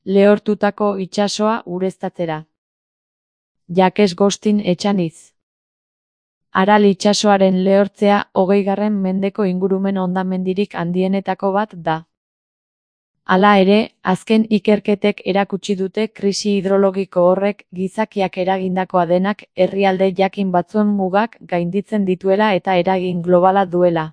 lehortutako itsasoa ureztatzera. Jakes Gostin etxaniz. Aral itsasoaren lehortzea 20. mendeko ingurumen hondamendirik handienetako bat da. Hala ere, azken ikerketek erakutsi dute krisi hidrologiko horrek gizakiak eragindakoa denak herrialde jakin batzuen mugak gainditzen dituela eta eragin globala duela.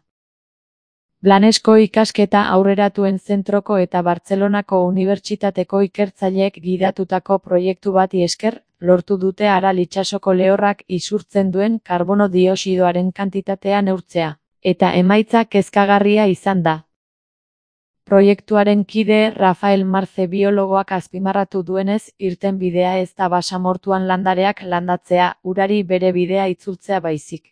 Blanesko ikasketa aurreratuen zentroko eta Bartzelonako Unibertsitateko ikertzaileek gidatutako proiektu bati esker, lortu dute Aral itsasoko lehorrak isurtzen duen karbono dioxidoaren kantitatea neurtzea, eta emaitza kezkagarria izan da. Proiektuaren kide Rafael Marce biologoak azpimarratu duenez, irtenbidea ez da basamortuan landareak landatzea, urari bere bidea itzultzea baizik.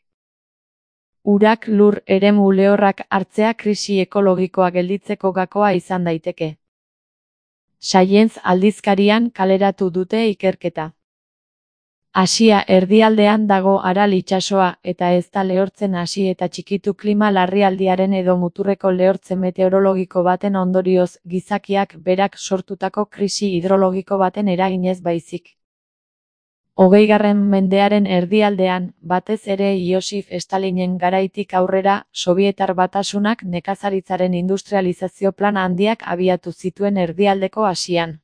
Urak lur eremu lehorrak hartzea krisi ekologikoa gelditzeko gakoa izan daiteke. Science aldizkarian kaleratu dute ikerketa. Asia erdialdean dago Aral itsasoa eta ez da lehortzen hasi eta txikitu klima larrialdiaren edo muturreko lehortze meteorologiko baten ondorioz gizakiak berak sortutako krisi hidrologiko baten eraginez baizik. 20. mendearen erdialdean, batez ere Josif Stalinen garaitik aurrera, Sobietar Batasunak nekazaritzaren industrializazio plan handiak abiatu zituen erdialdeko Asian.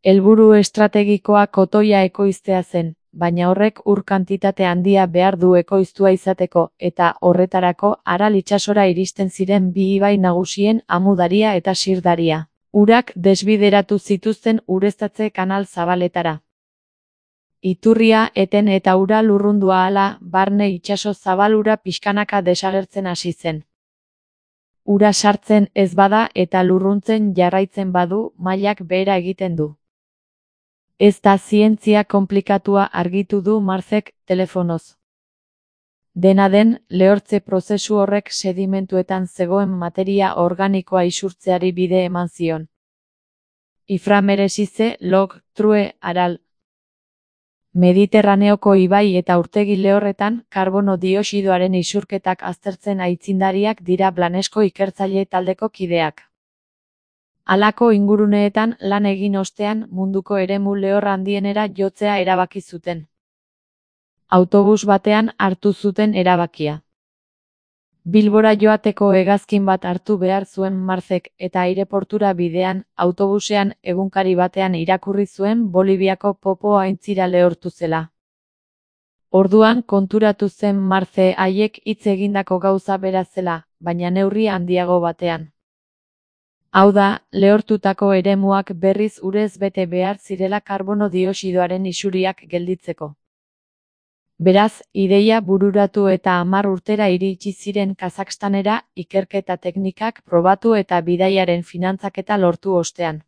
Helburu estrategikoa kotoia ekoiztea zen, baina horrek ur kantitate handia behar du ekoiztua izateko, eta horretarako Aral itsasora iristen ziren bi ibai nagusien Amudaria eta Sirdaria. Urak desbideratu zituzten ureztatze kanal zabaletara. Iturria eten eta ura lurrundua ahala, barne itsaso zabalura pixkanaka desagertzen hasi zen. Ura sartzen ez bada eta lurruntzen jarraitzen badu, mailak behera egiten du. Ez da zientzia konplikatua argitu du Marcek telefonoz. Dena den, lehortze prozesu horrek sedimentuetan zegoen materia organikoa isurtzeari bide eman zion. Iframeresize, log, true, Aral. Mediterraneoko ibai eta urtegi lehorretan karbono dioxidoaren isurketak aztertzen aitzindariak dira Blanesko ikertzaile taldeko kideak. Halako inguruneetan lan egin ostean munduko eremu lehor handienera jotzea erabaki zuten. Autobus batean hartu zuten erabakia. Bilbora joateko hegazkin bat hartu behar zuen Marcek eta aireportura bidean, autobusean egunkari batean irakurri zuen Boliviako Popo aintzira lehortu zela. Orduan konturatu zen Marce haiek hitz egindako gauza bera zela, baina neurri handiago batean. Hau da, lehortutako eremuak berriz urez bete behar zirela karbono dioxidoaren isuriak gelditzeko. Beraz, ideia bururatu eta 10 urtera iritsi ziren Kazakstanera, ikerketa teknikak probatu eta bidaiaren finantzaketa lortu ostean.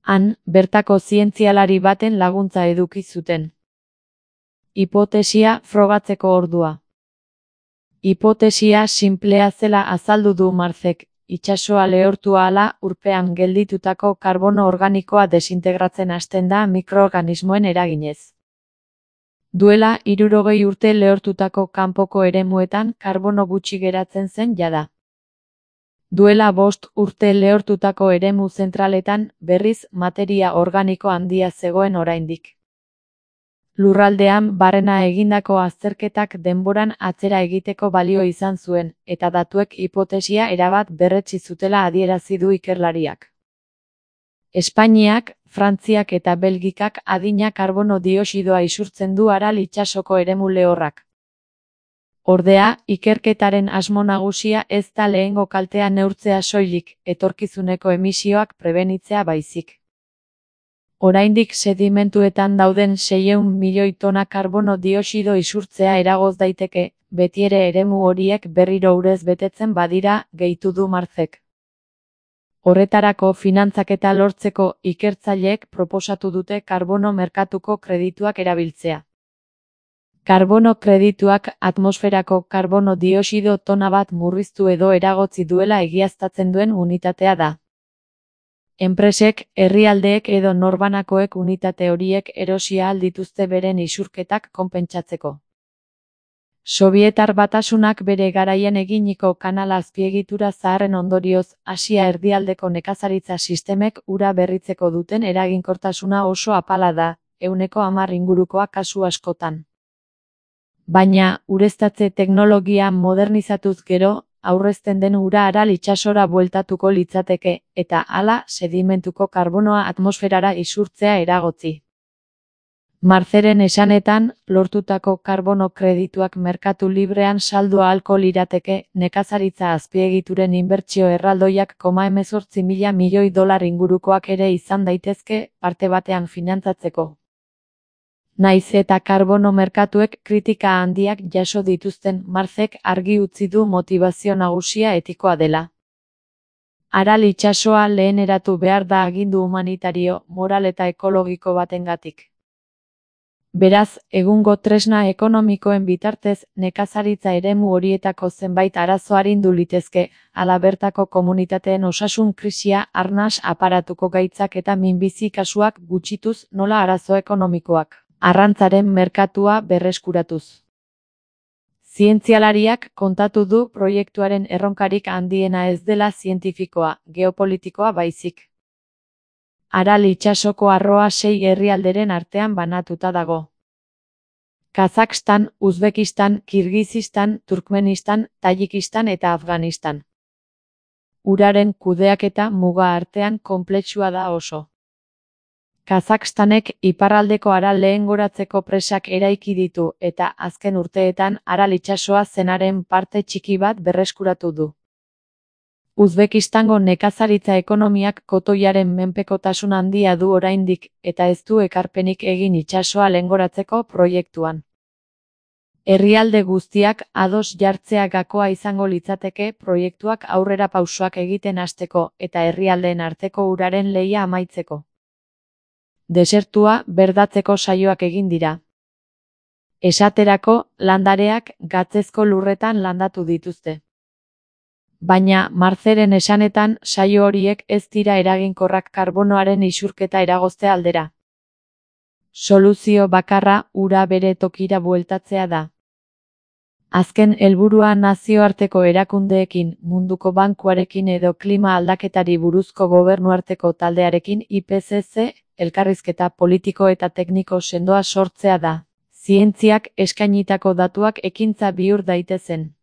Han, bertako zientzialari baten laguntza eduki zuten. Hipotesia frogatzeko ordua. Hipotesia sinplea zela azaldu du Marcek, itsasoa lehortu ahala urpean gelditutako karbono organikoa desintegratzen hasten da mikroorganismoen eraginez. Duela 60 urte lehortutako kanpoko eremuetan karbono gutxi geratzen zen jada. Duela 5 urte lehortutako eremu zentraletan berriz materia organiko handia zegoen oraindik. Lurraldean barrena egindako azterketak denboran atzera egiteko balio izan zuen, eta datuek hipotesia erabat berretsi zutela adierazi du ikerlariak. Espainiak, Frantziak eta Belgikak adina karbono dioxidoa isurtzen du Aral itsasoko eremu lehorrak. Ordea, ikerketaren asmo nagusia ez da lehengo kaltea neurtzea soilik, etorkizuneko emisioak prebenitzea baizik. Oraindik sedimentuetan dauden 600 milioi tona karbono dioxido isurtzea eragoz daiteke, betiere eremu horiek berriro urez betetzen badira, gehitu du Marcek. Horretarako finantzaketa lortzeko ikertzaileek proposatu dute karbono merkatuko kredituak erabiltzea. Karbono kredituak atmosferako karbono dioxido tona bat murriztu edo eragotzi duela egiaztatzen duen unitatea da. Enpresek, herrialdeek edo norbanakoek unitate horiek erosia ahal dituzte beren isurketak konpentsatzeko. Sobietar Batasunak bere garaian eginiko kanal azpiegitura zaharren ondorioz, Asia erdialdeko nekazaritza sistemek ura berritzeko duten eraginkortasuna oso apala da, 10% ingurukoa kasu askotan. Baina, ureztatze teknologia modernizatuz gero, aurrezten den ura Aral itsasora bueltatuko litzateke, eta hala sedimentuko karbonoa atmosferara isurtzea eragotzi. Marceren esanetan, lortutako karbono kredituak merkatu librean saldu ahalko lirateke, nekazaritza azpiegituren inbertsio erraldoiak $18.000 milioi ingurukoak ere izan daitezke, parte batean finantzatzeko. Naiz eta karbono merkatuek kritika handiak jaso dituzten, Marcek argi utzi du motibazio nagusia etikoa dela. Aral itsasoa leheneratu behar da agindu humanitario, moral eta ekologiko batengatik. Beraz, egungo tresna ekonomikoen bitartez, nekazaritza eremu horietako zenbait arazo arindu litezke, hala bertako komunitateen osasun krisia, arnas aparatuko gaitzak eta minbizi kasuak gutxituz nola arazo ekonomikoak, arrantzaren merkatua berreskuratuz. Zientzialariak kontatu du proiektuaren erronkarik handiena ez dela zientifikoa, geopolitikoa baizik. Aral itsasoko arroa 6 herrialderen artean banatuta dago. Kazakhstan, Uzbekistan, Kirgizistan, Turkmenistan, Tajikistan eta Afganistan. Uraren kudeaketa muga artean konplexua da oso. Kazakhstanek iparraldeko Aral lehengoratzeko presak eraiki ditu eta azken urteetan Aral itsasoa zenaren parte txiki bat berreskuratu du. Uzbekistango nekazaritza ekonomiak kotoiaren menpekotasun handia du oraindik eta ez du ekarpenik egin itsasoa lehengoratzeko proiektuan. Herrialde guztiak ados jartzea gakoa izango litzateke proiektuak aurrera pausoak egiten hasteko eta herrialdeen arteko uraren lehia amaitzeko. Desertua berdatzeko saioak egin dira. Esaterako, landareak gatzezko lurretan landatu dituzte. Baina, Marceren esanetan, saio horiek ez dira eraginkorrak karbonoaren isurketa eragozte aldera. Soluzio bakarra ura bere tokira bueltatzea da. Azken helburua nazioarteko erakundeekin, Munduko Bankuarekin edo klima aldaketari buruzko gobernuarteko taldearekin IPCC, elkarrizketa politiko eta tekniko sendoa sortzea da. Zientziak eskainitako datuak ekintza bihur daitezen.